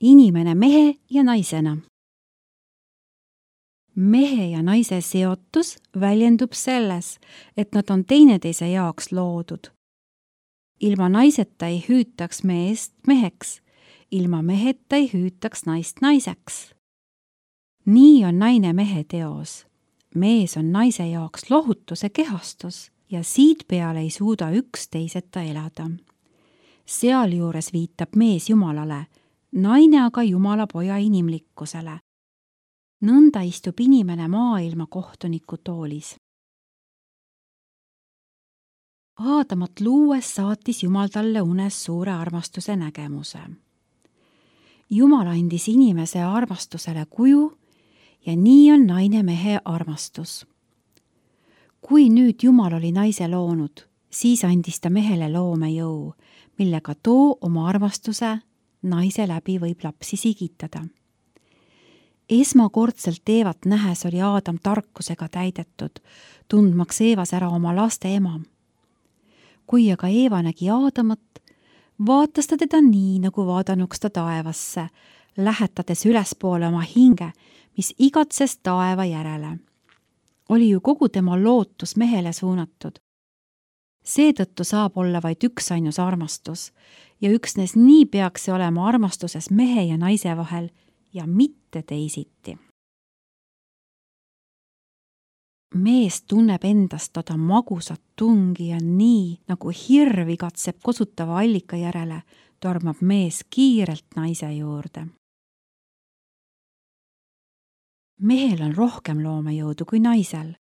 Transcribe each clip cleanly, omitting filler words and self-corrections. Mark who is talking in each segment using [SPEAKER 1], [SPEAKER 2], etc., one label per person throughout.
[SPEAKER 1] Inimene mehe ja naisena. Mehe ja naise seotus väljendub selles, et nad on teineteise jaoks loodud. Ilma naiseta ei hüütaks meest meheks, ilma meheta ei hüütaks naist naiseks. Nii on naine mehe teos. Mees on naise jaoks lohutuse kehastus ja siit peale ei suuda üksteiseta elada. Sealjuures viitab mees Jumalale, naine aga Jumala poja inimlikkusele. Nõnda istub inimene maailma kohtuniku toolis. Aadamat luues saatis Jumal talle unes suure armastuse nägemuse. Jumal andis inimese armastusele kuju ja nii on naine mehe armastus. Kui nüüd Jumal oli naise loonud, siis andis ta mehele loomejõu, millega too oma armastuse naise läbi võib lapsi sigitada. Esmakordselt Eevat nähes oli Aadam tarkusega täidetud, tundmaks Eevas ära oma laste ema. Kui aga Eeva nägi Aadamat, vaatas ta teda nii, nagu vaadanuks ta taevasse, lähetades ülespoole oma hinge, mis igatses taeva järele. Oli ju kogu tema lootus mehele suunatud. Seetõttu saab olla vaid üksainus armastus ja üksnes nii peaks see olema armastuses mehe ja naise vahel ja mitte teisiti. Mees tunneb endast toda magusat tungi ja nii, nagu hirv igatseb kosutava allika järele, tormab mees kiirelt naise juurde. Mehel on rohkem loomejõudu kui naisel,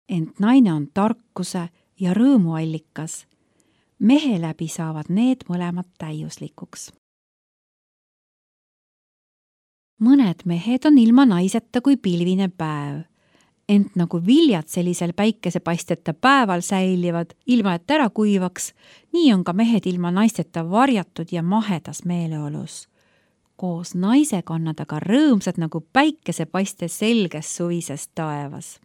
[SPEAKER 1] ent naine on tarkuse ja rõõmuallikas. Mehe läbi saavad need mõlemad täiuslikuks. Mõned mehed on ilma naiseta kui pilvine päev, ent nagu viljad sellisel päikesepaisteta päeval säilivad, ilma et ära kuivaks, nii on ka mehed ilma naisteta varjatud ja mahedas meeleolus. Koos naisega on nad aga rõõmsad nagu päikesepaiste selges suvises taevas.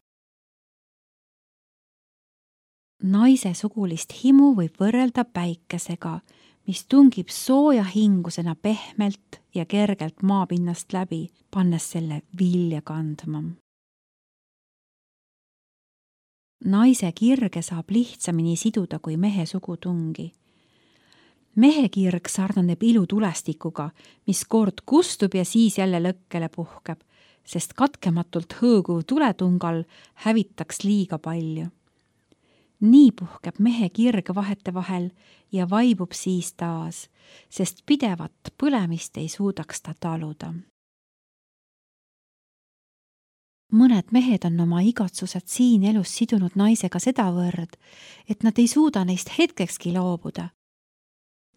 [SPEAKER 1] Naise sugulist himu võib võrrelda päikesega, mis tungib sooja hingusena pehmelt ja kergelt maapinnast läbi, pannes selle vilja kandma. Naise kirge saab lihtsamini siduda kui mehe sugutungi. Mehe kirg sarnaneb ilutulestikuga, mis kord kustub ja siis jälle lõkkele puhkeb, sest katkematult hõõguv tuletungal hävitaks liiga palju. Nii puhkeb mehe kirg vahetevahel ja vaibub siis taas, sest pidevat põlemist ei suudaks ta taluda. Mõned mehed on oma igatsused siin elus sidunud naisega sedavõrd, et nad ei suuda neist hetkekski loobuda.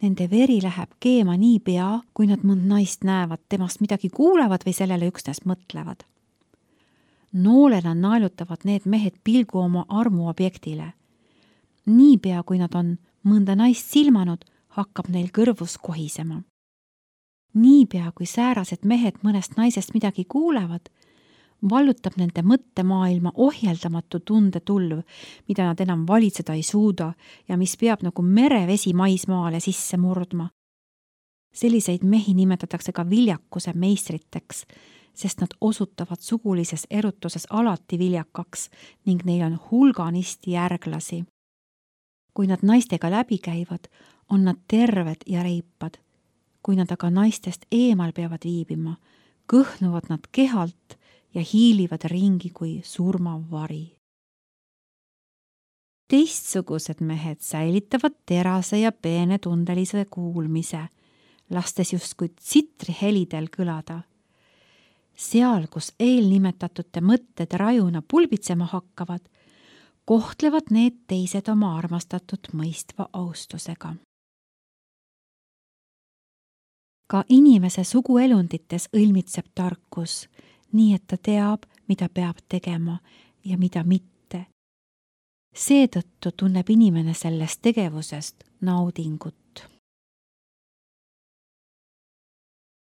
[SPEAKER 1] Nende veri läheb keema nii pea, kui nad mõnd naist näevad, temast midagi kuulevad või sellele üksnes mõtlevad. Noolena naelutavad need mehed pilgu oma armuobjektile. Niipea, kui nad on mõnda naist silmanud, hakkab neil kõrvus kohisema. Niipea, kui säärased mehed mõnest naisest midagi kuulevad, vallutab nende mõttemaailma ohjeldamatu tundetulv, mida nad enam valitseda ei suuda ja mis peab nagu merevesi maismaale sisse murdma. Selliseid mehi nimetatakse ka viljakuse meistriteks, sest nad osutavad sugulises erutuses alati viljakaks ning neil on hulganisti järglasi. Kui nad naistega läbi käivad, on nad terved ja reipad. Kui nad aga naistest eemal peavad viibima, kõhnuvad nad kehalt ja hiilivad ringi kui surmav vari. Teistsugused mehed säilitavad terase ja peene tundelise kuulmise, lastes justkui tsitrihelidel kõlada. Seal, kus eelnimetatute mõtted rajuna pulbitsema hakkavad, kohtlevad need teised oma armastatud mõistva austusega. Ka inimese suguelundites õilmitseb tarkus, nii et ta teab, mida peab tegema ja mida mitte. Seetõttu tunneb inimene sellest tegevusest naudingut.